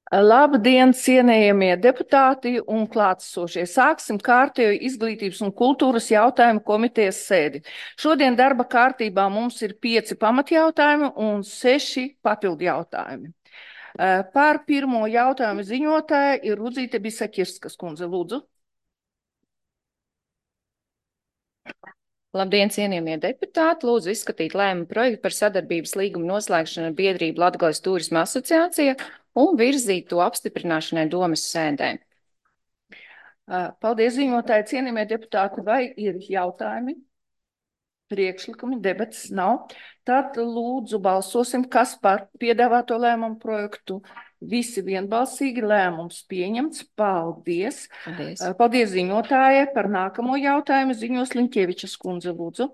Labdien, cienējamie deputāti un klātesošie. Sāksim kārtējo izglītības un kultūras jautājumu komitejas sēdi. Šodien darba kārtībā mums ir 5 pamatjautājumi un 6 papildu jautājumi. Par pirmo jautājumu ziņotāja ir Rudzīte Bisakirskas kundze. Lūdzu. Labdien, cienījamie deputāti! Lūdzu izskatīt lēmumu projektu par sadarbības līgumu noslēgšanu ar biedrību Latgales Tūrisma asociācija un virzīt to apstiprināšanai domes sēdē. Paldies, ziņotāji, cienījamie deputāti. Vai ir jautājumi? Priekšlikumi, debats nav. Tad lūdzu balsosim, kas par piedāvāto lēmumu projektu. Visi vienbalsīgi lēmums pieņemts. Paldies. Paldies ziņotājai. Par nākamo jautājumu ziņos Liņķievičas kundze, lūdzu.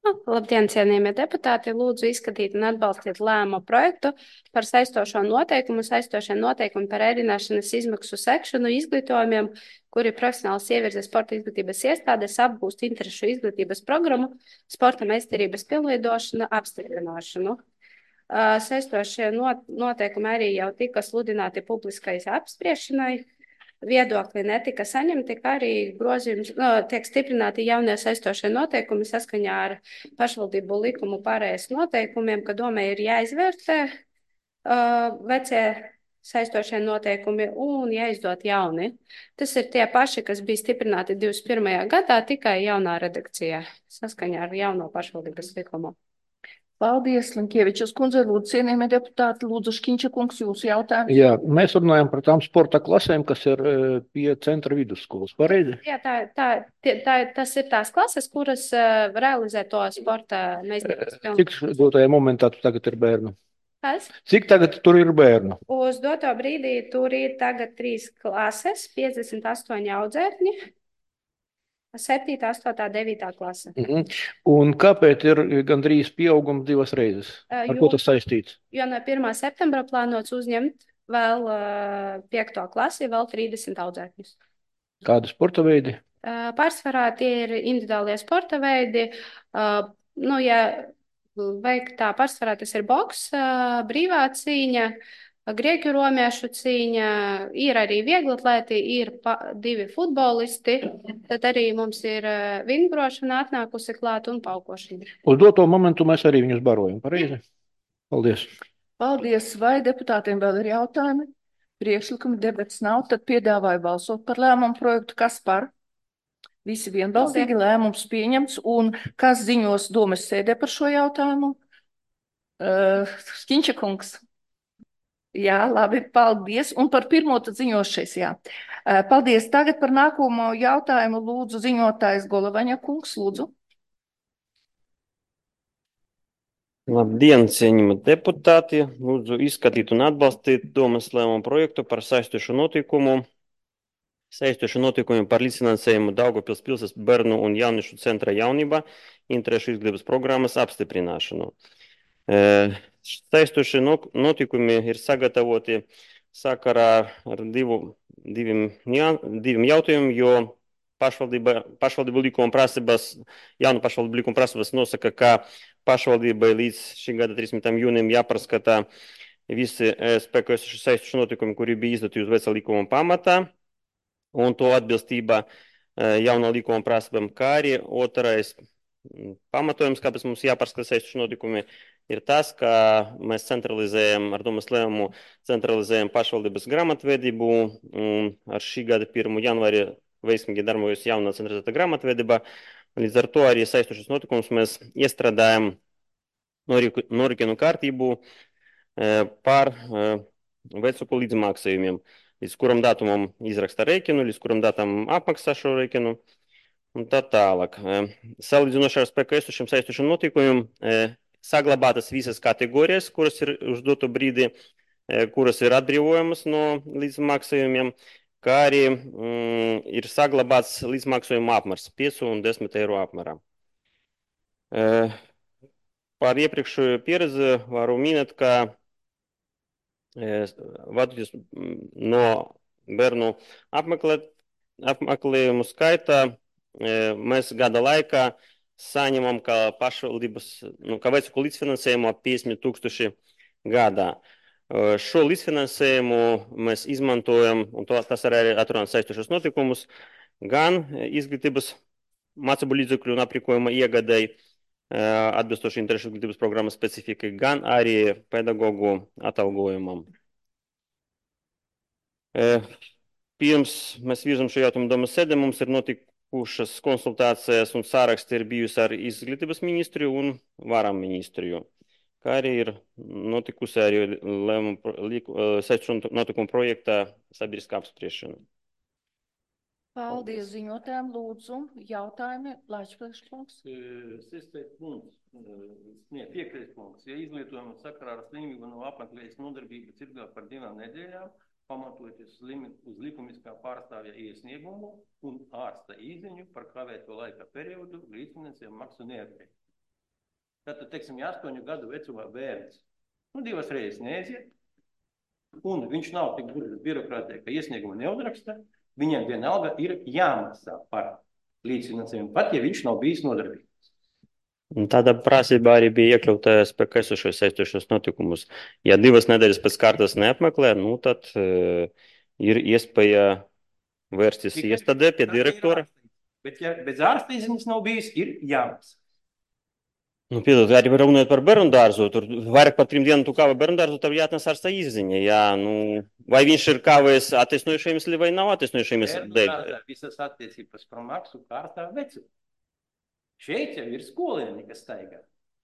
Labdien, cienījamie deputāti! Lūdzu izskatīt un atbalstīt lēmumu projektu par saistošiem noteikumu par ēdināšanas izmaksu sekšanu izglītojumiem, kuri profesionāls ievirzes sporta izglītības iestādēs apgūst interešu izglītības programmu, sporta meistarības pilnveidošanu, apstiprināšanu. Saistošie noteikumi arī jau tika sludināti publiskai apspriešanai. Viedokļi netika saņemti, kā arī grozījums tiek stiprināti jaunie saistošie noteikumi saskaņā ar pašvaldību likumu pārējais noteikumiem, ka domē ir jāizvērtē vecie saistošie noteikumi un jāizdot jauni. Tas ir tie paši, kas bija stiprināti 21. gadā, tikai jaunā redakcijā saskaņā ar jauno pašvaldības likumu. Paldies, Liņķievičas kundze. Lūdzu, cienījamie deputāti, lūdzu, Škiņča kungs, jūsu jautājums. Jā, mēs runājam par tām sporta klasēm, kas ir pie centra vidusskolas, pareizi? Jā, tas ir tās klases, kuras realizē to sporta meistarības pilnu. Cik dotajā momentā tu tagad ir bērnu? Kas? Cik tagad tur ir bērnu? Uz doto brīdī tur ir tagad 3 klases, 58 audzēkņi. 7., 8., 9. klase. Un kāpēc ir gandrīz pieaugums 2 reizes? Ar ko tas saistīts? Jo no 1. septembra plānots uzņemt vēl 5. klasi, vēl 30 audzēkņus. Kādi sporta veidi? Pārsvarā tie ir individuālie sporta veidi. Ja vajag tā pārsvarā, tas ir boks, brīvā cīņa, grieķu romiešu cīņa, ir arī vieglatlēti, ir 2 futbolisti, tad arī mums ir vingrošana atnākusi klāt un paukošana. Uz doto momentu mēs arī viņus barojam, pareizi? Paldies. Paldies. Vai deputātiem vēl ir jautājumi? Priekšlikumi, debats nav, tad piedāvāju balsot par lēmumu projektu. Kas par? Visi vienbalsīgi lēmums pieņemts. Un kas ziņos domes sēdē par šo jautājumu? Škiņča kungs. Jā, labi, paldies. Un par pirmo tad ziņošais, jā. Paldies. Tagad par nākamo jautājumu lūdzu ziņotājs Golovaņa kungs, lūdzu. Labdien, cienījamie deputāti! Lūdzu izskatīt un atbalstīt domes lēmumu projektu par saistošu notikumu par līdzfinansējumu Daugavpils pilsētas bērnu un jauniešu centra jaunība interešu izglītības programmas apstiprināšanu. Saistošie notikumi ir sagatavoti sakarā ar diviem jautājumiem, jo pašvaldību likuma prasības, jaunu pašvaldību likuma prasības nosaka, ka pašvaldībai līdz šī gada 30. jūnijam jāpārskata visi spēkā esošie saistošie notikumi, kuri bija izdoti uz vecā likuma pamatā, un to atbilstība jaunā likuma prasībām, kā arī otrais pamatojums, kāpēc mums jāpārskata saistošie notikumi, ir tas, ka mēs ar domes lēmumu centralizējam pašvaldības grāmatvedību, un ar šī gada 1. janvāri veiksmīgi darbojas jaunā centralizēta grāmatvedība. Līdz ar to arī saistošos notikumus mēs iestrādājam norikinu kārtību par vecāku līdzmaksājumiem, līdz kuram datumam izraksta rēķinu, līdz kuram datumam apmaksā šo rēķinu un tā tālāk. Salīdzinoši ar spēkā esošiem saistošiem notikumiem saglabātas visas kategorijas, kuras ir uz doto brīdi, kuras ir atbrīvojamas no līdzmaksājumiem, kā arī ir saglabāts līdzmaksājuma apmērs 5 un 10 eiro apmērā. Par iepriekšējo pieredzi varu minēt, ka vadoties no bērnu apmeklējumu skaita mēs gada laikā saņemam kā pašvaldības, kā vecāku līdzfinansējumu ap 50 000 gadā. Šo līdzfinansējumu mēs izmantojam, un tas arī atrunā saistošos notikumus, gan izglītības mācību līdzekļu un aprīkojuma iegadēji, atbilstoši interešu izglītības programmas specifikai, gan arī pedagogu atalgojumam. Pirms mēs virzam šo jautājumu domas sēdē, mums ir notikušas konsultācijas un sāraksti ir bijusi ar izglītības ministriju un varam ministriju, kā arī ir notikusi arī saistošu notikumu projektā sabiedriskā apspriešana. Paldies ziņotājiem, lūdzu, jautājumi, Laičplēškungs. 5. punkts. Ja izglītojuma sakarā ar slimību no apmeklējas nodarbības ilgāk par 2 nedēļām, pamatojoties uz likumiskā pārstāvja iesniegumu un ārsta izziņu par kavēto laika periodu, līdzfinansējumu maksu neatkarīgi. Tātad, teiksim, 8 gadu vecumā bērns, 2 reizes neaiziet, un viņš nav tik gudrs birokrātē, ka iesniegumu neuzraksta, viņam vienalga ir jāmaksā par līdzfinansējumu, pat ja viņš nav bijis nodarbīgs. Tāda prasība arī bija iekļauta spēkā esošos saistošos notikumus. Ja 2 nedēļas pēc kārtas neapmeklē, tad ir iespēja vērsties iestādē pie direktora. Bet ja bez ārsta izziņas nav bijis, ir jāmaksā. Piedod, arī runājot par bērnu dārzu, tur vairāk par 3 dienām tu kāva bērnu dārzu, tad jāatnes ārsta izziņa. Jā, vai viņš ir kāvējis attaisnojušajiem iemesli vai nav attaisnojušajiem iemesli? Visas attiecības par maksu kārtā vecumu. Šeit jau ir skolēni, kas staigā.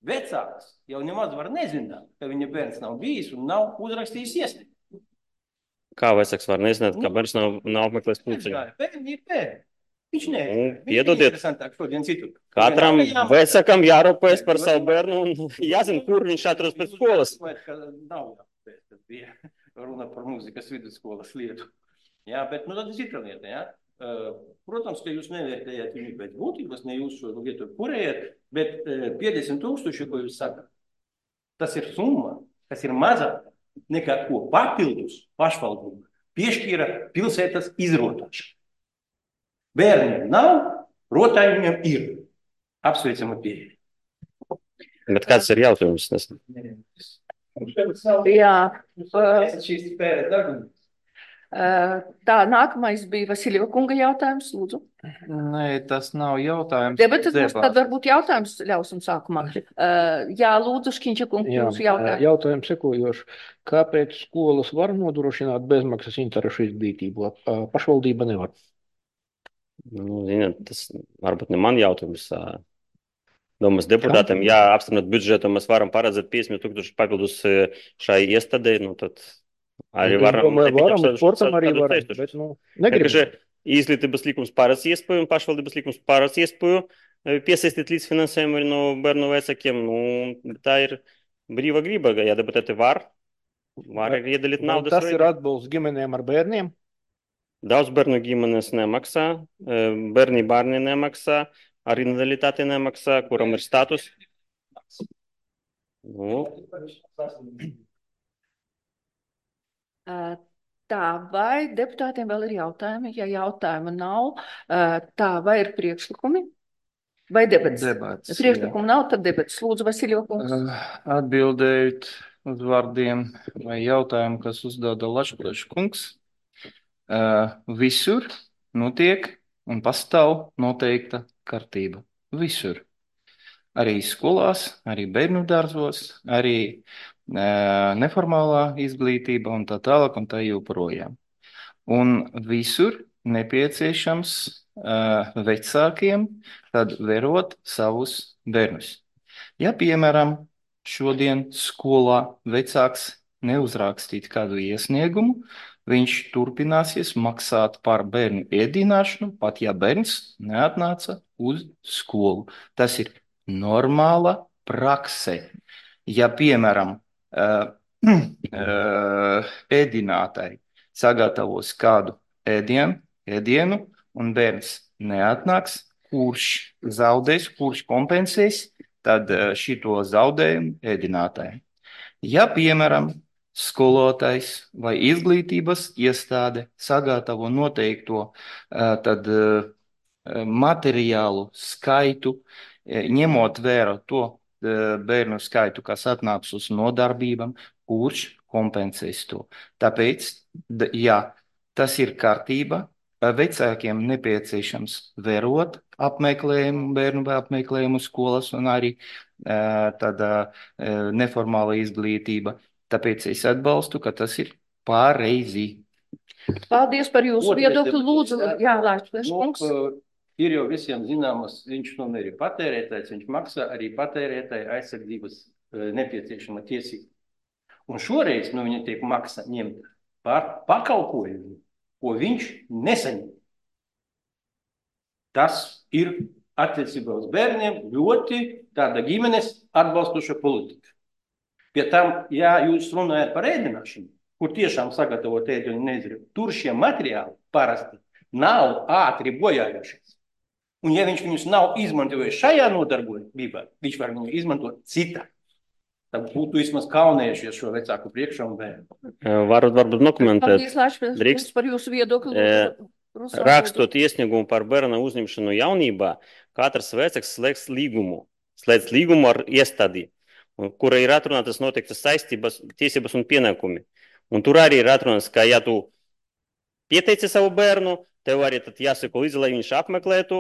Vecāks jau nemaz var nezināt, ka viņa bērns nav bijis un nav uzrakstījis iesniegumu. Kā vecāks var nezināt, ka bērns nav apmeklējis pulciņu? Bērni ir bērni. Viņš nē. Piedodiet, šodien citu. Katram vecākam jārūpējas par savu bērnu un jāzina, kur viņš atrodas pēc skolas. Nav jāpēc, tad bija runa par mūzikas vidusskolas lietu. Jā, bet tad ir cita lieta, jā. Protams, ka jūs nevērtējat viņu pēc būtības, ne jūs šo lietu kurējat, bet 50 000, ko jūs sakat, tas ir summa, kas ir mazāk nekā ko papildus pašvaldība piešķīra pilsētas izrotāšana. Bērniem nav, rotājumiem ir. Apsveicama pieeja. Bet kāds ir jautājums? Jā. Šīs spēles darbības. Tā, nākamais bija Vasiljeva kunga jautājums, lūdzu. Nē, tas nav jautājums. Debates mums tad varbūt jautājums ļausim sākumā. Jā, lūdzu, Škiņča kungs, jūsu jautājumu. Jautājums sekojoši. Kāpēc skolas var nodrošināt bezmaksas interešu izglītību? Pašvaldība nevar. Tas varbūt ne man jautājums. Domas deputātiem, ja apstiprinot budžetu, mēs varam paredzēt 50 000 papildus šai iestādei, tad arī varam. Sportam arī varam, bet negribam. Izglītības likums paredz iespēju un pašvaldības likums paredz iespēju piesaistīt līdzfinansējumu arī no bērnu vecākiem. Tā ir brīva griba, ja deputāti var arī iedalīt naudas. Tas ir atbalsts ģimenēm ar bērniem? Daudz bērnu ģimenes nemaksā, bērni nemaksā, arī invaliditāte nemaksā, kuram ir status. Tā, vai deputātiem vēl ir jautājumi? Ja jautājuma nav, tā, vai ir priekšlikumi? Vai debats? Priekšlikumi nav, tad debats. Lūdzu, Vasiljeva kungs. Atbildējot uz vārdiem vai jautājumu, kas uzdāda Lačplēša kungs. Visur notiek un pastāv noteikta kārtība. Visur. Arī skolās, arī bērnu dārzos, arī neformālā izglītība un tā tālāk un tā joprojām. Un visur nepieciešams vecākiem tad vērot savus bērnus. Ja, piemēram, šodien skolā vecāks neuzrakstīt kādu iesniegumu, viņš turpināsies maksāt par bērnu ēdināšanu, pat ja bērns neatnāca uz skolu. Tas ir normāla prakse. Ja, piemēram, ēdinātāji sagatavos kādu ēdienu un bērns neatnāks, kurš zaudēs, kurš kompensēs, tad šito zaudējumu ēdinātājiem. Ja, piemēram, skolotājs vai izglītības iestāde sagatavo noteikto tad materiālu skaitu, ņemot vērā to bērnu skaitu, kas atnāks uz nodarbībām, kurš kompensēs to. Tāpēc, jā, tas ir kārtība. Vecākiem nepieciešams vērot apmeklējumu, bērnu apmeklējumu skolas un arī tāda neformāla izglītība. Tāpēc es atbalstu, ka tas ir pareizi. Paldies par jūsu viedokli. Lūdzu, jā, Lāčplēš kungs. Ir jau visiem zināmas, viņš tomēr ir patērētājs, viņš maksā arī patērētāja aizsardzības nepieciešama tiesība. Un šoreiz no viņa tiek maksa ņemt par pakalpojumu, ko viņš nesaņem. Tas ir attiecībā uz bērniem ļoti tāda ģimenes atbalstoša politika. Pie tam, ja jūs runājat par ēdināšanu, kur tiešām sagatavot ēdienu nezinu, tur šie materiāli parasti nav ātri bojājošies. Un ja viņš viņus nav izmantojis šajā nodarbībā, viņš var viņu izmantot citā. Tad būtu vismaz kaunējušies šo vecāku priekšā un bērnu. Varbūt dokumentēt. Paldies, Lāčplēš, par jūsu viedokli. Rakstot iesniegumu par bērna uzņemšanu jaunībā, katrs vecāks slēdz līgumu ar iestādi, kura ir atrunātas noteiktas saistības, tiesības un pienākumi. Un tur arī ir atrunāts, ka ja tu pieteici savu bērnu, tev arī tad jāseko līdzi, lai viņš apmeklētu,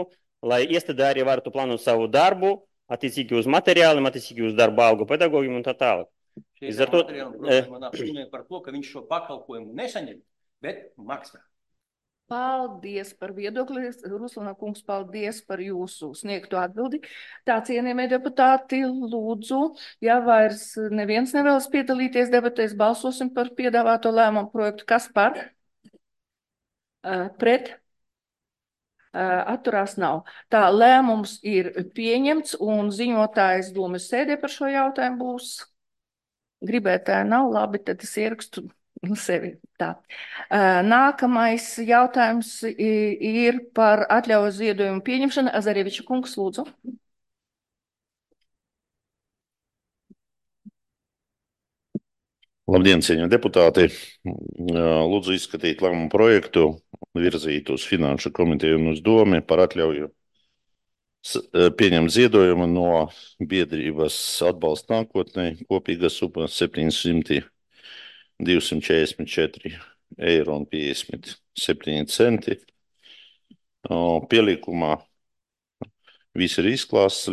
lai iestāde arī varētu plānot savu darbu, attiecīgi uz materiāliem, attiecīgi uz darba algu pedagogiem un tā tālāk. Šeit ar materiālu problēma nav runāja par to, ka viņš šo pakalpojumu nesaņem, bet maksā. Paldies par viedokli. Ruslana kungs, paldies par jūsu sniegto atbildi. Tā, cienījamie deputāti, lūdzu, ja vairs neviens nevēlas piedalīties debatēs, balsosim par piedāvāto lēmumu projektu. Kas par? Pret? Atturās nav. Tā, lēmums ir pieņemts un ziņotājs domas sēdē par šo jautājumu būs. Gribētāji nav, labi, tad es ierakstu sevi. Tā. Nākamais jautājums ir par atļauju ziedojumu pieņemšanu. Azareviča kungs, lūdzu. Labdien, cienījamie deputāti! Lūdzu izskatīt lēmumu projektu, virzīt uz Finanšu komiteju un uz Domi par atļauju pieņemt ziedojumu no biedrības Atbalsts nākotnē, kopīga summa 700,244,57 eiro. Pielikumā viss ir izklāsts,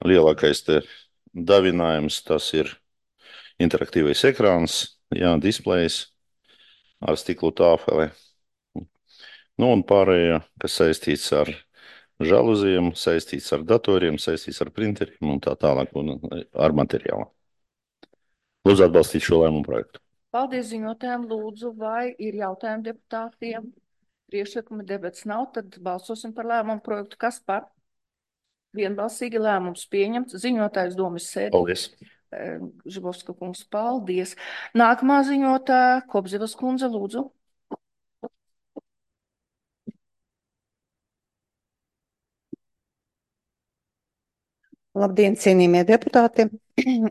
lielākais te davinājums, tas ir interaktīvais ekrāns, displejs ar stiklu tāfeli. Un pārējā, kas saistīts ar žaluziem, saistīts ar datoriem, saistīts ar printeriem un tā tālāk un ar materiālu. Lūdzu atbalstīt šo lēmumu projektu. Paldies ziņotājiem. Lūdzu, vai ir jautājumi deputātiem? Priekšlikumi debats nav, tad balsosim par lēmumu projektu. Kas par? Vienbalsīgi lēmums pieņemts. Ziņotājs domas sēdē. Paldies. Žibovska kungs, paldies. Nākamā ziņotāja, Kobzevas kundze, lūdzu. Labdien, cienījamie deputāti!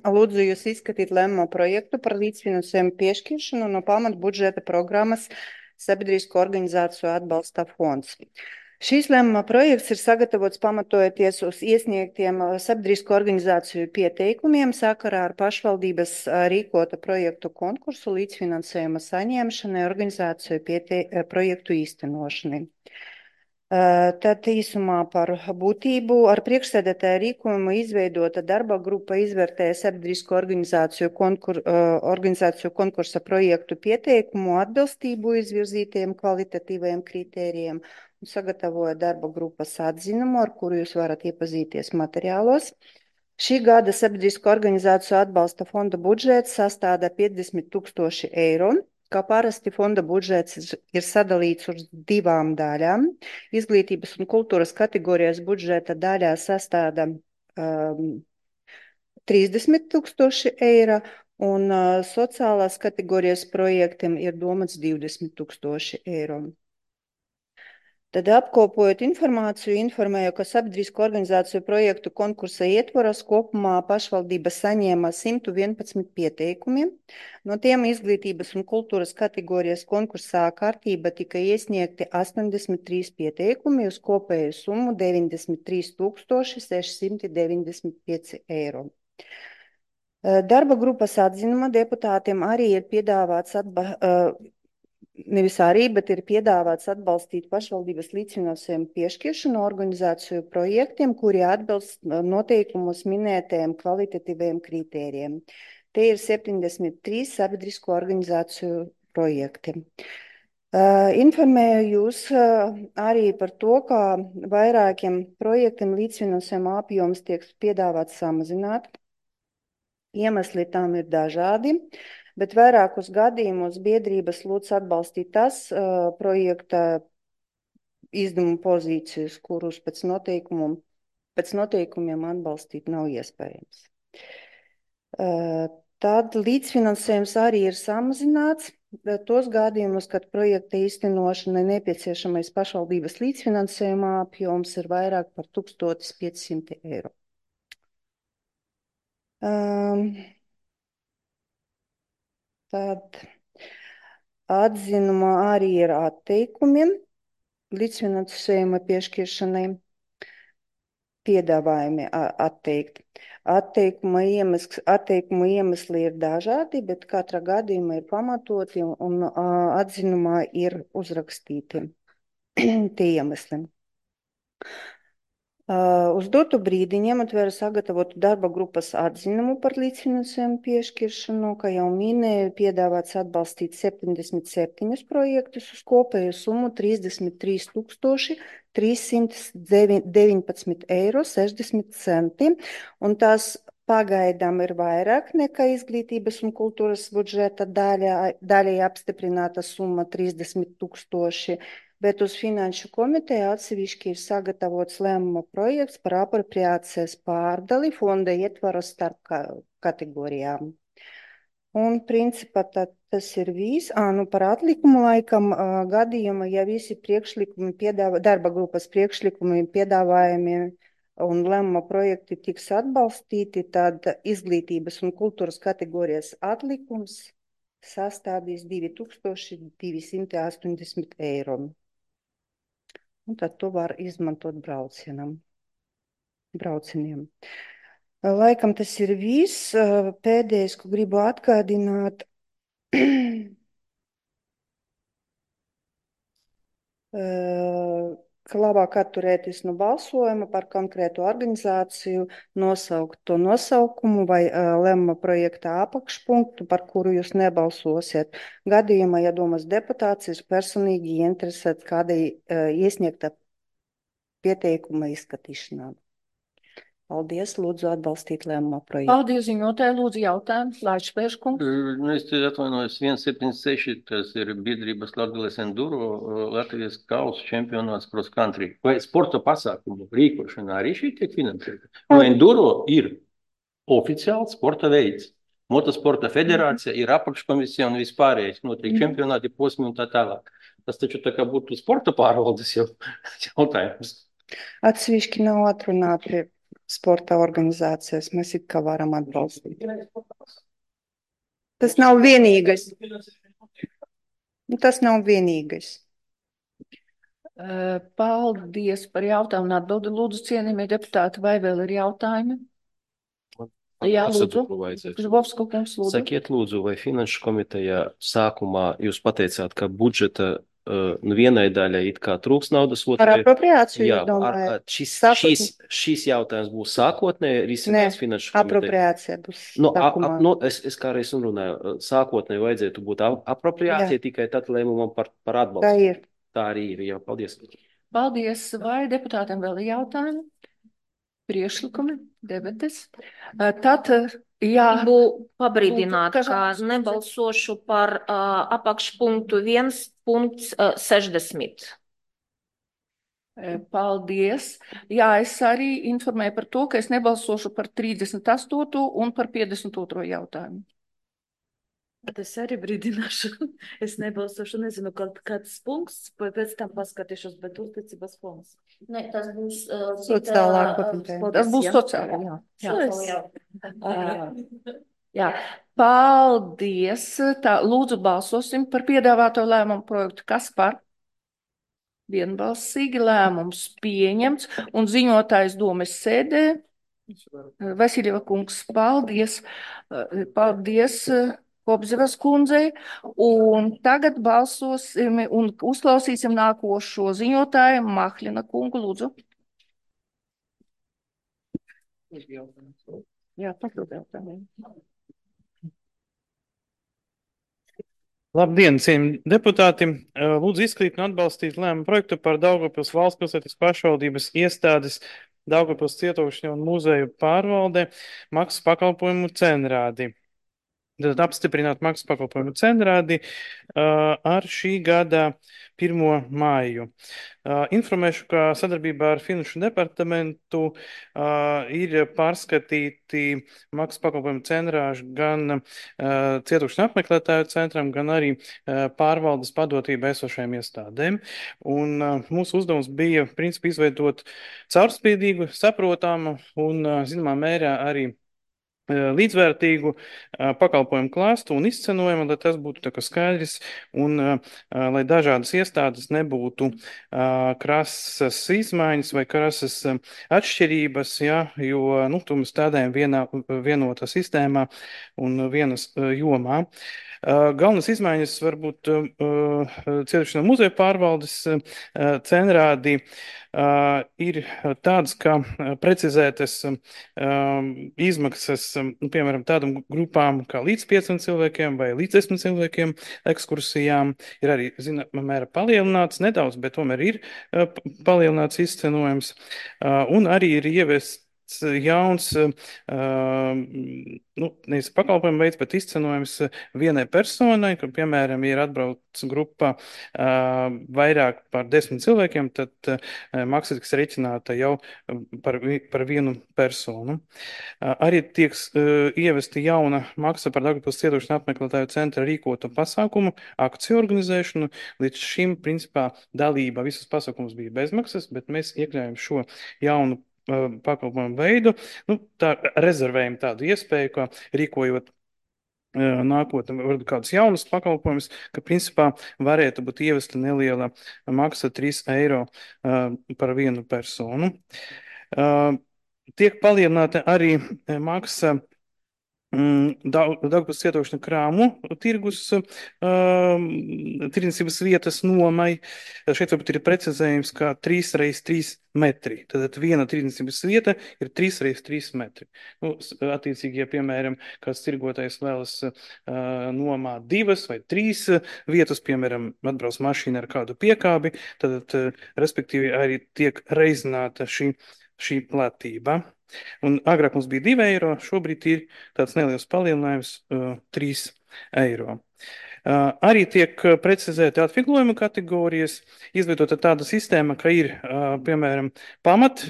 Lūdzu jūs izskatīt lēmumu projektu par līdzfinansējumu piešķiršanu no pamata budžeta programmas Sabiedrisko organizāciju atbalsta fonds. Šīs lēmuma projekts ir sagatavots pamatojoties uz iesniegtiem sabiedrisko organizāciju pieteikumiem sakarā ar pašvaldības rīkota projektu konkursu līdzfinansējuma saņemšanai organizāciju projektu īstenošanai. Tad īsumā par būtību ar priekšsēdētāju rīkojumu izveidota darba grupa izvērtēja sabiedrisko organizāciju konkursa projektu pieteikumu atbilstību izvirzītajiem kvalitatīvajiem kritērijiem un sagatavoja darba grupas atzinumu, ar kuru jūs varat iepazīties materiālos. Šī gada sabiedrisko organizāciju atbalsta fonda budžets sastāda 50,000 eiro. Kā parasti fonda budžets ir sadalīts uz divām daļām. Izglītības un kultūras kategorijas budžeta daļā sastāda 30,000 eiro un sociālās kategorijas projektiem ir domāts 20,000 eiro. Tad apkopojot informāciju, informēju, ka sabiedrisko organizāciju projektu konkursa ietvaros kopumā pašvaldība saņēma 111 pieteikumi. No tiem izglītības un kultūras kategorijas konkursā kārtība tika iesniegti 83 pieteikumi uz kopēju summu 93 695 eiro. Darba grupas atzinuma deputātiem arī ir piedāvāts bet ir piedāvāts atbalstīt pašvaldības līdzfinansējumu piešķiršanu organizāciju projektiem, kuri atbilst noteikumus minētajiem kvalitatīviem kritērijiem. Te ir 73 sabiedrisko organizāciju projekti. Informēju jūs arī par to, ka vairākiem projektiem līdzfinansējuma apjoms tiek piedāvāts samazināt. Iemesli tam ir dažādi. Bet vairākus gadījumus biedrības lūdz atbalstīt tas projekta izdevumu pozīcijas, kurus pēc noteikumiem atbalstīt nav iespējams. Tad līdzfinansējums arī ir samazināts. Tos gadījumus, kad projekta īstenošanai nepieciešamais pašvaldības līdzfinansējuma apjoms ir vairāk par 1500 eiro. Tad atzinumā arī ir atteikumi līdzfinansējuma piešķiršanai, piedāvājumi atteikt. Atteikumu iemesli ir dažādi, bet katra gadījuma ir pamatoti un atzinumā ir uzrakstīti tie iemesli. Uz dotu brīdi ņemot vērā sagatavotu darba grupas atzinumu par līdzfinansējumu piešķiršanu, kā jau minēju, piedāvāts atbalstīt 77 projektus uz kopēju summu 33 319 eiro 60 centi, un tās pagaidām ir vairāk nekā izglītības un kultūras budžeta daļai apstiprināta summa 30 000, bet uz Finanšu komiteju atsevišķi ir sagatavots lēmuma projekts par apropriācijas pārdali fonda ietvaros starp kategorijām. Un principā tas ir viss. Par atlikumu laikam gadījuma, ja visi priekšlikumi, darba grupas priekšlikumi, piedāvājumi un lēmuma projekti tiks atbalstīti, tad izglītības un kultūras kategorijas atlikums sastādīs 2280 eiro. Un tad to var izmantot braucieniem. Laikam tas ir viss. Pēdējais, ko gribu atgādināt, ka labāk atturēties no balsojuma par konkrētu organizāciju, nosaukt to nosaukumu vai lēmuma projekta apakšpunktu, par kuru jūs nebalsosiet. Gadījumā, ja domas deputāts ir personīgi interesēts kādai iesniegta pieteikuma izskatīšanā. Paldies, lūdzu atbalstīt lēmuma projektu. Paldies, ziņotāji, lūdzu jautājumu. Laičplēš kungs. Es te atvainojos 176, tas ir biedrības Latgales Enduro, Latvijas kausa čempionāts cross country. Vai sporta pasākumu rīkošanā arī šī tiek finansēta? Jo Enduro ir oficiāls sporta veids. Motosporta federācija ir apakškomisija un vispārējais. Notiek čempionāti, posmi un tā tālāk. Tas taču tā kā būtu sporta pārvaldes jautājums. Atsevišķi nav atrunāti sporta organizācijas, mēs it kā varam atbalstīt. Tas nav vienīgais. Tas nav vienīgais. Paldies par jautājumu un atbildi. Lūdzu, cienījamie deputāti, vai vēl ir jautājumi? Jā, lūdzu. Žvovska kungs, lūdzu. Sakiet, lūdzu, vai Finanšu komitejā sākumā jūs pateicāt, ka budžeta vienai daļai it kā trūks naudas, Par apropriāciju, jā, domāju. šīs jautājums būs sākotnēji risinās Finanšu komitejā. Apropriācija būs sākumā. Es kā reiz runāju, sākotnēji vajadzētu būt apropriācija tikai tad lēmumam par atbalstu. Tā ir. Tā arī ir, jā, paldies. Paldies, vai deputātiem vēl ir jautājumi? Priekšlikumi, debates. Tad, jā. Gribu pabrīdināt, ka nebalsošu par apakšpunktu 1.60. Paldies. Jā, es arī informēju par to, ka es nebalsošu par 38. un par 52. jautājumu. Es arī brīdināšu. Es nebalsošu, nezinu, kāds punkts, pēc tam paskatīšos, bet uzticības fonds. Ne, tas būs Sociālā komiteja. Tas būs sociāli, jā. Jā. Jā, paldies. Tā, lūdzu balsosim par piedāvāto lēmumu projektu. Kas par? Vienbalsīgi lēmums pieņemts un ziņotājs domes sēdē. Vasiljeva kungs, paldies. Paldies Kopzivas kundzei. Un tagad balsosim un uzklausīsim nākošo ziņotāju Mahļina kungu, lūdzu. Jā, papildu jautājumu. Labdien, cienījamie deputāti! Lūdzu izskatīt un atbalstīt lēmumu projektu par Daugavpils valsts pilsētas pašvaldības iestādes Daugavpils cietokšņa un muzeju pārvalde maksas pakalpojumu cenrādi. Tad apstiprināt maksas pakalpojumu cenrādi ar šī gada 1. māju. Informēšu, ka sadarbībā ar Finanšu departamentu ir pārskatīti maksas pakalpojumu cenrāži gan cietokšņa apmeklētāju centram, gan arī pārvaldes padotība esošajām iestādēm. Un mūsu uzdevums bija, principā, izveidot caurspīdīgu, saprotamu un, zināmā mērā, arī līdzvērtīgu pakalpojumu klāstu un izcenojumu, lai tas būtu tā kā skaidrs un lai dažādas iestādes nebūtu krasas izmaiņas vai krasas atšķirības, ja, jo, tu mēs tādējam vienotā sistēmā un vienas jomā. Galvenas izmaiņas varbūt cietošanā muzeja pārvaldes cenrādi ir tādas, ka precizētas izmaksas, piemēram, tādām grupām kā līdz 5 cilvēkiem vai līdz 10 cilvēkiem ekskursijām ir arī, zināmā mērā, palielināts nedaudz, bet tomēr ir palielināts izcenojums. Un arī ir ieviests jauns, nevis pakalpojumu veids, bet izcenojums vienai personai, ka, piemēram, ir atbrauc grupa vairāk par 10 cilvēkiem, tad maksa tiks rēķināta jau par vienu personu. Arī tiek ievesta jauna maksa par Daugavpils cietošanas apmeklētāju centra rīkoto pasākumu akciju organizēšanu. Līdz šim, principā, dalība visas pasākumus bija bezmaksas, bet mēs iekļājam šo jaunu pakalpojumu veidu, tā rezervējam tādu iespēju, ka rīkojot nākotnē varbūt kādus jaunus pakalpojumus, ka principā varētu būt ievesta neliela maksa 3 eiro par vienu personu. Tiek palielināta arī maksa Daugavpils cietošņa krāmu tirgus tirdzniecības vietas nomai. Šeit varbūt ir precizējums, kā 3x3 metri. Tad viena tirdzniecības vieta ir 3x3 metri. Attiecīgi, ja, piemēram, kāds tirgotājs vēlas nomāt 2 vai 3 vietas, piemēram, atbrauc mašīna ar kādu piekābi, tad, respektīvi, arī tiek reizināta šī platība. Un agrāk mums bija 2 eiro, šobrīd ir tāds neliels palielinājums 3 eiro. Arī tiek precizēti atvieglojuma kategorijas, izveidota tāda sistēma, ka ir, piemēram, pamat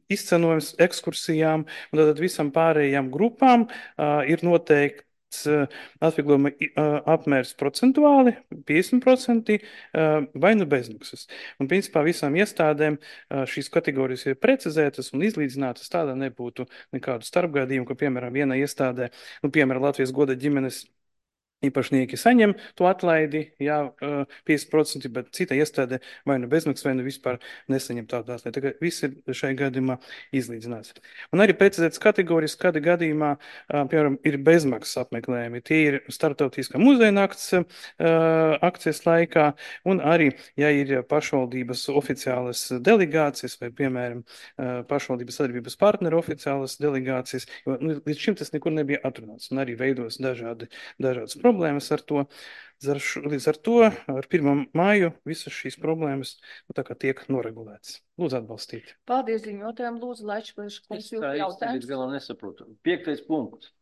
izcenojums ekskursijām, un tad visam pārējām grupām ir noteikti atvieglojuma apmērs procentuāli, 50% vai bezmaksas. Un, principā, visām iestādēm šīs kategorijas ir precizētas un izlīdzinātas, tādā nebūtu nekādu starpgadījumu, ka, piemēram, vienā iestādē, piemēram, Latvijas goda ģimenes īpašnieki saņem to atlaidi, jā, 50%, bet cita iestādē vai nu bezmaksas, vai nu vispār nesaņem tādu atlaidi. Tā kā viss ir šai gadījumā izlīdzināts. Un arī precizētas kategorijas, kāda gadījumā, piemēram, ir bezmaksas apmeklējumi. Tie ir starptautiskā muzeja nakts akcijas laikā, un arī, ja ir pašvaldības oficiālas delegācijas, vai, piemēram, pašvaldības sadarbības partneru oficiālas delegācijas, jo līdz šim tas nekur nebija atrunāts, un arī veidos dažādas problēmas ar to. Līdz ar to, ar 1. māju, visas šīs problēmas tā kā tiek noregulētas. Lūdzu atbalstīt. Paldies ziņotājiem. Lūdzu, Laičplēš, kungs, jūs jautājums. Es galam nesaprotu. 5. punkts.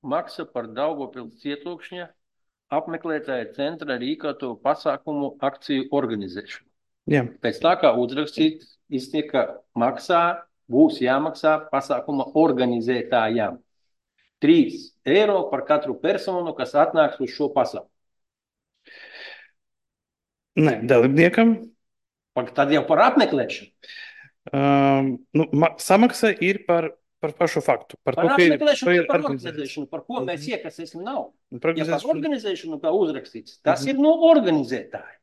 Maksa par Daugavpils cietokšņa apmeklētāja centra rīkoto pasākumu akciju organizēšanu. Jā. Pēc tā, kā uzrakstīts, iztiek, ka būs jāmaksā pasākuma organizētājām. 3 eiro par katru personu, kas atnāks uz šo pasauku. Nē, dalībniekam. Tad jau par apmeklēšanu. Samaksa ir par pašu faktu. Par apmeklēšanu, par organizēšanu, par ko mēs iekasēsim naudu. Ja par organizēšanu, kā uzrakstīts, tas ir no organizētāja.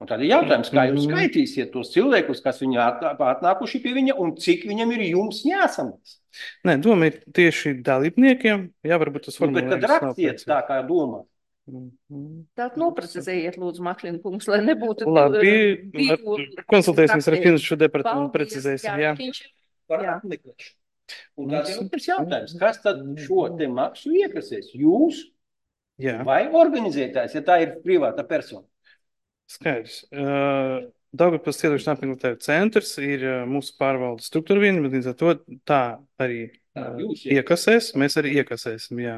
Un tad ir jautājums, kā jūs skaitīsiet tos cilvēkus, kas viņi atnākuši pie viņa, un cik viņam ir jums jāsamaksā. Nē, doma ir tieši dalībniekiem. Jā, varbūt tas formulējums. Bet tad rakstiet tā, kā domā. Tātad noprecizējiet, lūdzu, Maklina kungs, lai nebūtu... Labi, konsultēsimies ar finanšu departamentu, precizēsim, jā. Par apmeklēšanu. Un tāds ir otrs jautājums, kas tad šo te maksu iekasēs? Jūs vai organizētājs, ja tā ir privāta persona? Skaidrs. Daugavpils Cietošanas apmeklētāju centrs ir mūsu pārvaldes struktūra viena, bet līdz ar to tā arī iekasēs, mēs arī iekasēsim, jā.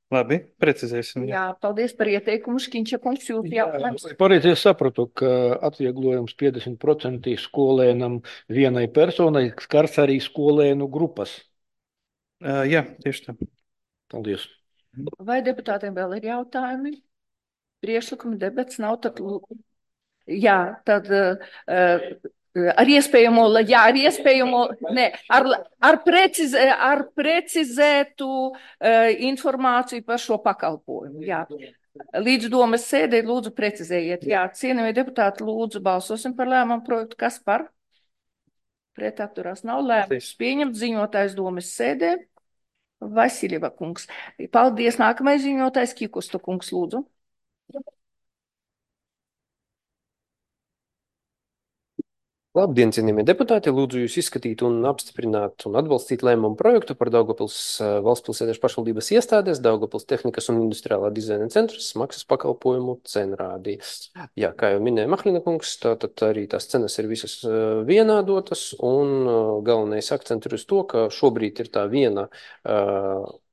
Labi, precizēsim. Jā, paldies par ieteikumu, Škiņša kungs, jūs jautājums. Pareizi es sapratu, ka atvieglojums 50% skolēnam vienai personai skars arī skolēnu grupas. Jā, tieši tā. Paldies. Vai deputātiem vēl ir jautājumi? Priekšlikumi debats nav, tad... Jā, tad... Ar iespējamo, ar precizētu informāciju par šo pakalpojumu. Jā. Līdz domas sēdē lūdzu precizējiet. Jā, cienījamie deputāti, lūdzu balsosim par lēmumu projektu. Kas par? Pret atturās nav lēmums. Pieņemt ziņotājs domas sēdē. Vasiljeva kungs. Paldies. Nākamais ziņotājs Kikusta kungs, lūdzu. Labdien, cienījamie deputāti! Lūdzu jūs izskatīt un apstiprināt un atbalstīt lēmumu projektu par Daugavpils valsts pilsētiešu pašvaldības iestādes, Daugavpils tehnikas un industriālā dizaina centrs maksas pakalpojumu cenrādī. Jā, kā jau minēja Mahlina kungs, tātad arī tās cenas ir visas vienādotas un galvenais akcents ir uz to, ka šobrīd ir tā viena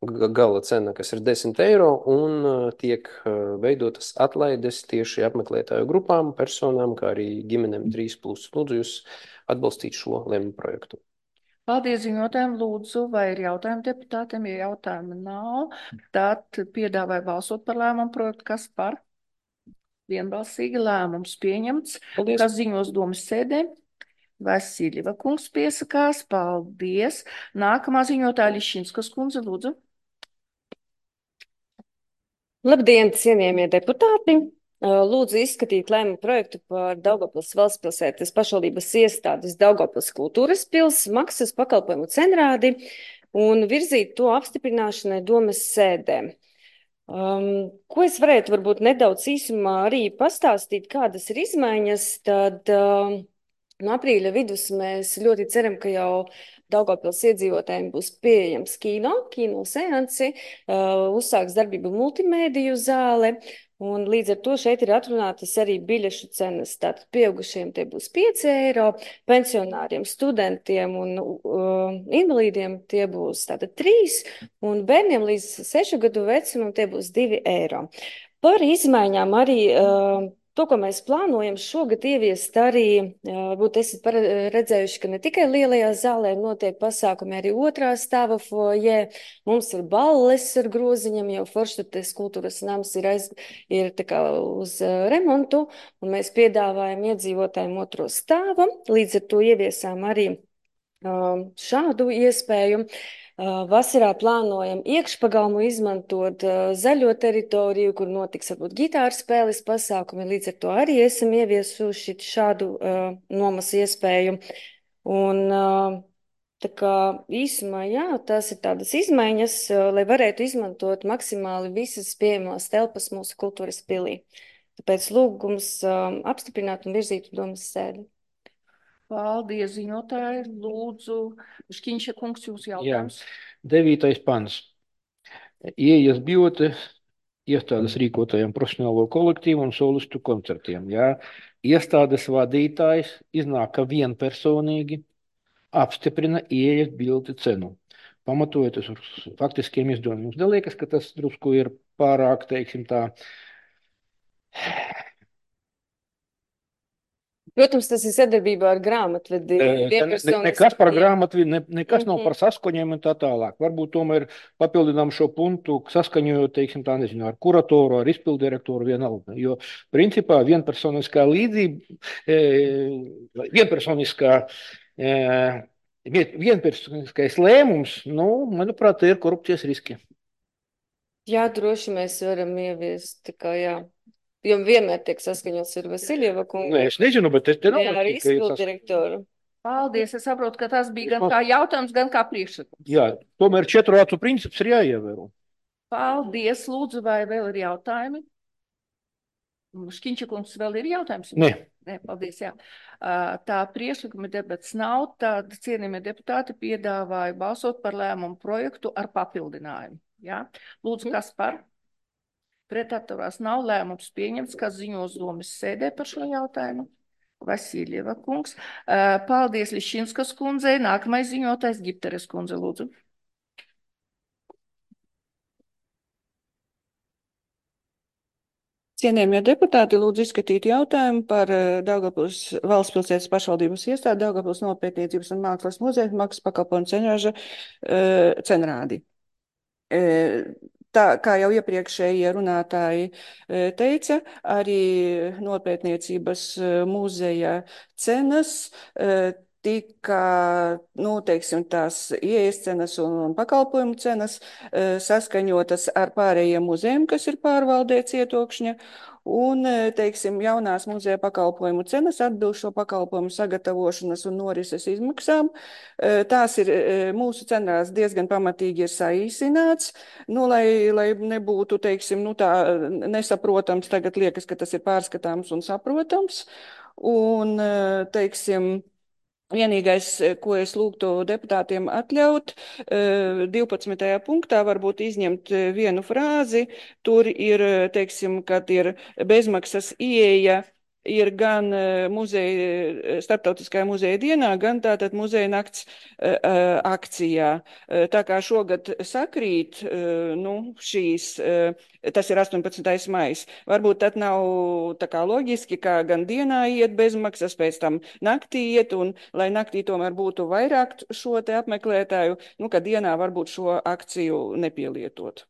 gala cena, kas ir 10 eiro un tiek veidotas atlaides tieši apmeklētāju grupām, personām, kā arī ģimenēm 3+. Lūdzu jūs atbalstīt šo lēmumu projektu. Paldies ziņotājiem, lūdzu, vai ir jautājumi deputātiem? Ja jautājumi nav, tad piedāvāju balsot par lēmumu projektu. Kas par? Vienbalsīgi lēmums pieņemts. Paldies. Kas ziņos domas sēdē? Vasiljeva kungs piesakās. Paldies. Nākamā ziņotāja Lišķinskas kundze, lūdzu. Labdien, cienījamie deputāti! Lūdzu izskatīt lēmumu projektu par Daugavpils valsts pilsētas pašvaldības iestādes Daugavpils kultūras pils maksas pakalpojumu cenrādi un virzīt to apstiprināšanai domas sēdē. Ko es varētu varbūt nedaudz īsumā arī pastāstīt, kādas ir izmaiņas, tad no aprīļa vidus mēs ļoti ceram, ka jau Daugavpils iedzīvotājiem būs pieejams kino seansi, uzsāks darbību multimēdiju zāle, un līdz ar to šeit ir atrunātas arī biļešu cenas. Tātad pieaugušiem tie būs 5 eiro, pensionāriem, studentiem un invalīdiem tie būs tātad 3, un bērniem līdz 6 gadu vecumam tie būs 2 eiro. Par izmaiņām arī to, ko mēs plānojam šogad ieviest arī, varbūt esat redzējuši, ka ne tikai lielajā zālē notiek pasākumi, arī otrā stāva foajē. Mums ir balles ar groziņam, jo Forštates kultūras nams ir tā kā uz remontu, un mēs piedāvājam iedzīvotājiem otro stāvu. Līdz ar to ieviesām arī šādu iespēju. Vasarā plānojam iekšpagalmu izmantot zaļo teritoriju, kur notiks varbūt ģitāru spēles pasākumi. Līdz ar to arī esam ieviesuši šādu nomas iespēju. Un tā kā īsumā, jā, tās ir tādas izmaiņas, lai varētu izmantot maksimāli visas pieejamās telpas mūsu kultūras pilī. Tāpēc lūgums apstiprināt un virzīt domas sēdi. Paldies, ziņotāji. Lūdzu, Škiņša kungs, jūs jautājums. Jā, 9. pants. Ieejas biļete iestādes rīkotajiem profesionālo kolektīvu un solistu koncertiem. Jā. Iestādes vadītājs iznāk, ka vienpersonīgi apstiprina ieejas biļeti cenu, pamatojoties uz faktiskiem izdevumiem. Jums neliekas, ka tas drusku ir pārāk, teiksim tā, Protams, tas ir sadarbībā ar grāmatvedi. Nekas par grāmatvedi, nekas nav par saskaņojumu un tā tālāk. Varbūt tomēr papildinām šo punktu, saskaņojot, teiksim, tā nezinu, ar kuratoru, ar izpildirektoru vienalga. Jo, principā, vienpersoniskā līdzība, vienpersoniskais lēmums, nu, manuprāt, ir korupcijas riski. Jā, droši mēs varam ieviest, tā kā jā. Jo vienmēr tiek saskaņots ar Vasiljeva kungu. Nē, es nezinu, bet es te jā, ar izpildirektoru. Paldies, es saprotu, ka tas bija gan kā jautājums, gan kā priekšlikums. Jā, tomēr 4 acu princips ir jāievēro. Paldies, lūdzu, vai vēl ir jautājumi? Škiņčakungs, vēl ir jautājums? Nē. Nē, paldies, jā. Tā priekšlikuma debats nav, tad cienījamie deputāti piedāvāja balsot par lēmumu projektu ar papildinājumu. Jā? Lūdzu, kas par? Pretatturās nav, lēmums pieņemts, kas ziņos domas sēdē par šo jautājumu. Vasiljeva kungs. Paldies Liščinskas kundzei. Nākamais ziņotājs Gipteres kundze, lūdzu. Cienījamie deputāti, lūdzu izskatīt jautājumu par Daugavpils valstspilsētas pašvaldības iestādi Daugavpils Nopietniecības un mākslas muzeja maksas pakalpojumu cenraža cenrādi. Tā, kā jau iepriekšējie runātāji teica, arī Nopietniecības muzeja cenas tika, nu, teiksim, tās ieejas cenas un pakalpojumu cenas saskaņotas ar pārējiem muzejiem, kas ir pārvaldē Cietokšņa, un, teiksim, jaunās muzeja pakalpojumu cenas atbilst šo pakalpojumu sagatavošanas un norises izmaksām. Tās ir mūsu cenās diezgan pamatīgi ir saīsināts, nu, lai nebūtu, teiksim, nu, tā nesaprotams, tagad liekas, ka tas ir pārskatāms un saprotams, un, teiksim, vienīgais, ko es lūgtu deputātiem atļaut, 12. punktā varbūt izņemt vienu frāzi. Tur ir, teiksim, kad ir bezmaksas ieeja, ir gan muzeja, starptautiskajā muzeja dienā, gan tātad muzeja nakts akcijā. Tā kā šogad sakrīt, nu, šīs, tas ir 18. maijs. Varbūt tad nav tā kā loģiski, kā gan dienā iet bezmaksas, pēc tam naktī iet, un lai naktī tomēr būtu vairāk šo te apmeklētāju, nu, ka dienā varbūt šo akciju nepielietot.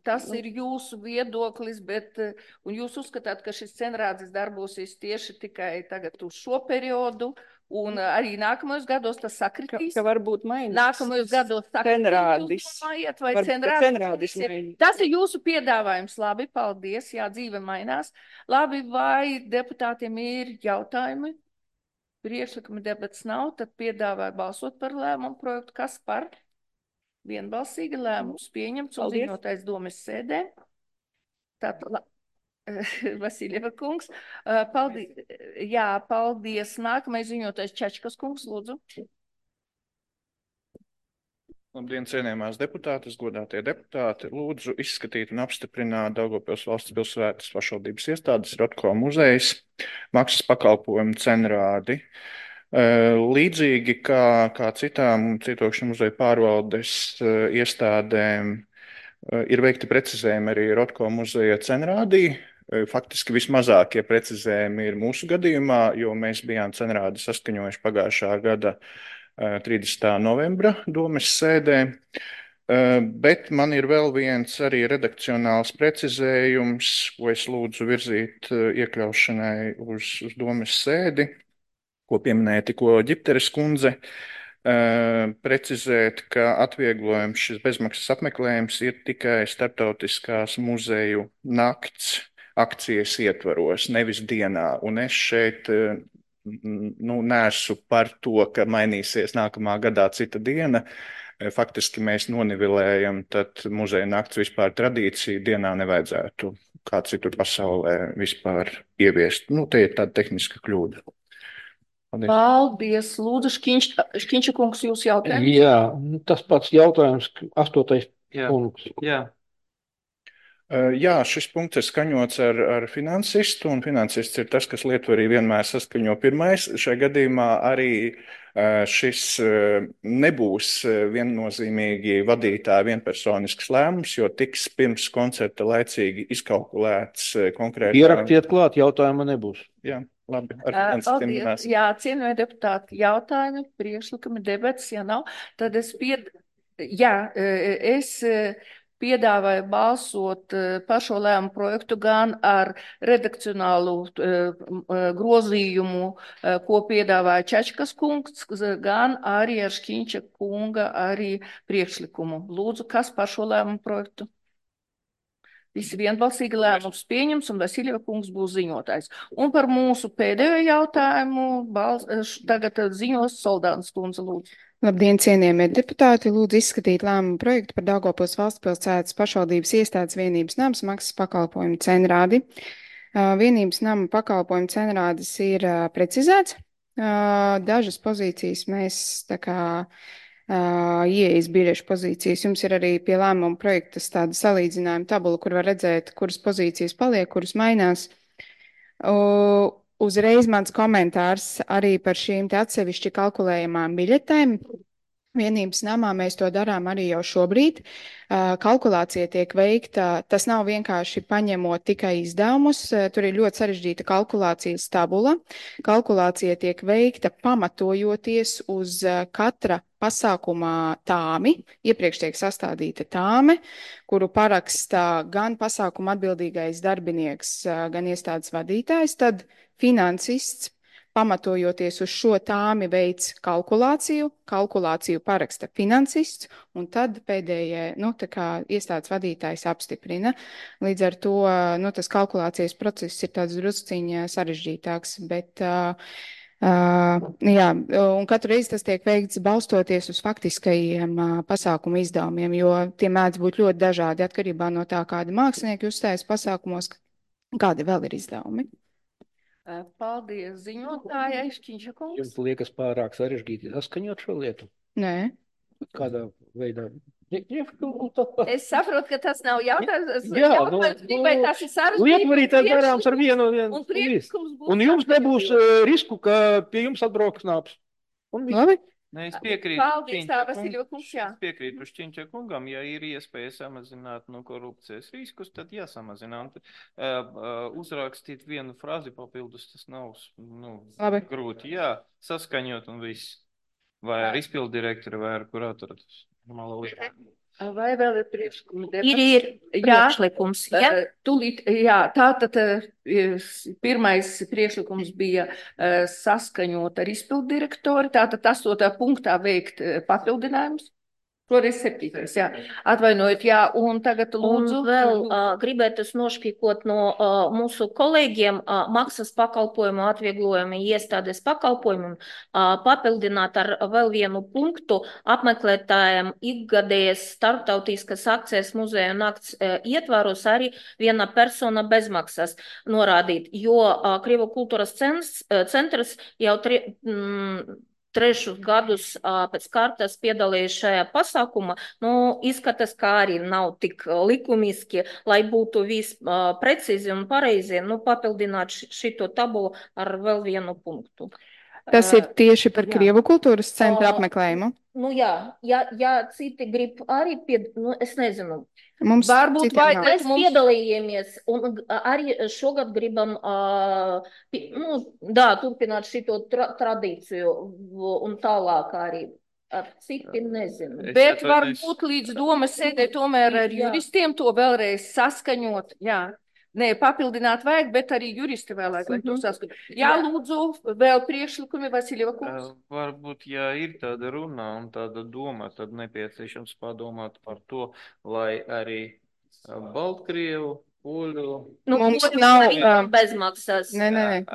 Tas ir jūsu viedoklis, bet un jūs uzskatāt, ka šis cenrādzis darbosies tieši tikai tagad uz šo periodu, un arī nākamajos gados tas sakritīs? Ka varbūt mainīs. Nākamajos gados sakritīs, vai cenrādis mainīs? Tas ir jūsu piedāvājums. Labi, paldies. Jā, dzīve mainās. Labi, vai deputātiem ir jautājumi? Priekšlikuma debats nav, tad piedāvāju balsot par lēmumu projektu. Kas par? Vienbalsīgi lēmums pieņemts un ziņotais domas sēdē. Tātad, Vasiljeva kungs, paldies. Jā, paldies. Nākamais ziņotais Čečkas kungs, lūdzu. Labdien, cienījamās deputātes, godātie deputāti. Lūdzu izskatīt un apstiprināt Daugavpils valsts pilsētas pašvaldības iestādes Rotko muzejs maksas pakalpojumu cenrādi. Līdzīgi kā citām Cietokšņa muzeja pārvaldes iestādēm ir veikti precizējumi arī Rotko muzeja cenrādī. Faktiski vismazākie precizējumi ir mūsu gadījumā, jo mēs bijām cenrādi saskaņojuši pagājušā gada 30. novembra domes sēdē. Bet man ir vēl viens arī redakcionāls precizējums, ko es lūdzu virzīt iekļaušanai uz domes sēdi, ko pieminēja tikko Ģipteres kundze, precizēt, ka atvieglojums šis bezmaksas apmeklējums ir tikai starptautiskās muzeju nakts akcijas ietvaros, nevis dienā. Un es šeit neesmu par to, ka mainīsies nākamā gadā cita diena. Faktiski mēs nonivelējam tad muzeja nakts vispār tradīciju, dienā nevajadzētu kā citur pasaulē vispār ieviest. Nu, te ir tāda tehniska kļūda. Paldies. Paldies. Lūdzu, Škiņša kungs, jūs jautājums? Jā, tas pats jautājums, 8. punkts. Jā. Jā, šis punkts ir skaņots ar finansistu, un finansists ir tas, kas lietvarī vienmēr saskaņo pirmais. Šajā gadījumā arī Šis nebūs viennozīmīgi vadītāja vienpersonisks lēmums, jo tiks pirms koncerta laicīgi izkalkulēts konkrēti. Ierakstiet klāt, jautājumu nebūs. Jā, labi. Paldies. Jā, cienījamie deputāti, jautājumi, priekšlikumi, debates, ja nav, tad es piedāvāju balsot par šo lēmumu projektu gan ar redakcionālu grozījumu, ko piedāvāja Čečkas kungs, gan arī ar Šķiņča kunga arī priekšlikumu. Lūdzu, kas par šo lēmumu projektu? Visi vienbalsīgi lēmums pieņems, un Vasiljeva kungs būs ziņotājs. Un par mūsu pēdējo jautājumu tagad ziņos Soldānas kundze, lūdzu. Labdien, cienījamie deputāti! Lūdzu izskatīt lēmumu projektu par Daugavpils valstspilsētas pašvaldības iestādes vienības namas maksas pakalpojumu cenrādi. Vienības nama pakalpojumu cenrādes ir precizēts. Dažas pozīcijas mēs tā kā ieejas biļešu pozīcijas. Jums ir arī pie lēmuma projekta tāda salīdzinājuma tabula, kur var redzēt, kuras pozīcijas paliek, kuras mainās. Uzreiz mans komentārs arī par šīm te atsevišķi kalkulējamām biļetēm. Vienības namā mēs to darām arī jau šobrīd. Kalkulācija tiek veikta, tas nav vienkārši paņemot tikai izdevumus, tur ir ļoti sarežģīta kalkulācijas tabula. Kalkulācija tiek veikta pamatojoties uz katra pasākumā tāmi, iepriekš tiek sastādīta tāme, kuru parakstā gan pasākuma atbildīgais darbinieks, gan iestādes vadītājs, tad finansists, pamatojoties uz šo tāmi veids kalkulāciju paraksta finansists, un tad pēdējie, tā kā iestādes vadītājs apstiprina. Līdz ar to, tas kalkulācijas process ir tāds drusciņā sarežģītāks, bet, jā, un katru reizi tas tiek veikts balstoties uz faktiskajiem pasākumu izdevumiem, jo tie mēdz būt ļoti dažādi atkarībā no tā, kādi mākslinieki uzstājas pasākumos, kādi vēl ir izdevumi. Paldies ziņotājai, Šķiņša kungs. Jums liekas pārāk sarežģīti saskaņot šo lietu? Nē. Kādā veidā? Es saprotu, ka tas nav jautājums. Jā, vai tas ir sarežģīti? Lietvarītājs darāms ar vienu. Un jums nebūs risku, ka pie jums atbrauks nāps. Labi. Ne, es piekrītu. Paldies, tā, Vasiljeva kungs, jā. Es piekrītu Šķiņča kungam, ja ir iespēja samazināt korupcijas riskus, tad jāsamazina. Uzrakstīt vienu frāzi papildus, tas nav grūti. Jā, saskaņot un viss. Vai ar izpildu direktoru, vai ar kuratoru. Tas normāla lieta. Vai vēl ir priekšlikumi? Ir priekšlikums. Jā, tātad pirmais priekšlikums bija saskaņot ar izpildu direktori, tātad 8. punktā veikt papildinājumus. Šoreiz 7. jā. Atvainojiet, jā, un tagad lūdzu. Un vēl gribētu nošpīkot no mūsu kolēģiem maksas pakalpojumu atvieglojumu iestādes pakalpojumu papildināt ar vēl vienu punktu apmeklētājiem ikgadējas starptautiskas akcijas muzeja nakts ietvaros arī viena persona bezmaksas norādīt, jo Krievu kultūras centrs jau trešus gadus pēc kārtas piedalījies šajā pasākumā, izskatās, kā arī nav tik likumiski, lai būtu viss precīzi un pareizi, papildināt šito tabulu ar vēl vienu punktu. Tas ir tieši par Krievu kultūras centra apmeklējumu? Ja citi grib arī, es nezinu. Varbūt mēs piedalījāmies un arī šogad gribam turpināt šito tradīciju un tālāk arī. Citi nezinu. Bet varbūt līdz domas sēdē tomēr ar juristiem to vēlreiz saskaņot. Jā. Nē, papildināt vajag, bet arī juristi vēlāk, lai to saskatu. Jā, lūdzu, vēl priekšlikumi, Vasiljeva kungs. Varbūt, ja ir tāda runa un tāda doma, tad nepieciešams padomāt par to, lai arī Baltkrievu, Poļu... Mums nav bezmaksas. Nē.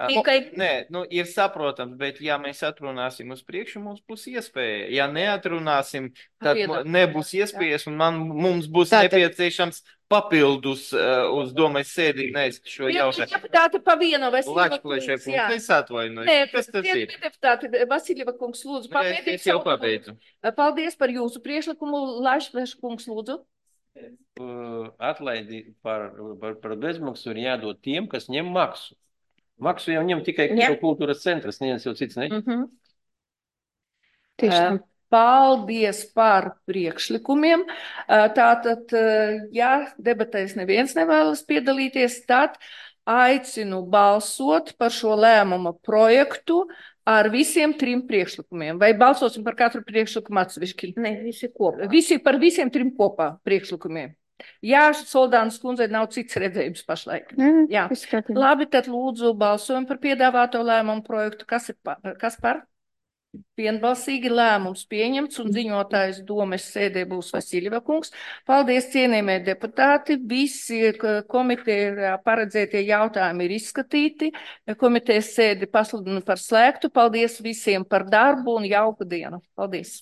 Ir saprotams, bet ja mēs atrunāsim uz priekšu, mums būs iespēja. Ja neatrunāsim, tad nebūs iespējas un mums būs nepieciešams papildus uz domas sēdī nēst šo jautājumu. Deputāti pa vienu, Vasiljeva kungs. Es atvainoju. Kas tas ir? Deputāti, Vasiljeva kungs, lūdzu, pabeidiet. Es jau pabeidzu. Paldies par jūsu priekšlikumu. Laišveša kungs, lūdzu. Atlaidi par bezmaksu ir jādod tiem, kas ņem maksu. Maksu jau ņem tikai Krievu kultūras centrs, neviens jau cits ne. Tieši tā. Paldies par priekšlikumiem. Tātad, ja debatēs neviens nevēlas piedalīties, tad aicinu balsot par šo lēmuma projektu ar visiem 3 priekšlikumiem. Vai balsosim par katru priekšlikumu atsevišķi? Ne, visi kopā. Par visiem 3 kopā priekšlikumiem. Jā, Soldānas kundzei nav cits redzējums pašlaik. Jā. Labi, tad lūdzu balsojam par piedāvāto lēmumu projektu. Kas par? Vienbalsīgi lēmums pieņemts un ziņotājs domes sēdē būs Vasiļeva kungs. Paldies, cienījamie deputāti. Visi komiteja paredzētie jautājumi ir izskatīti. Komitejas sēdi pasludinu par slēgtu. Paldies visiem par darbu un jauku dienu. Paldies!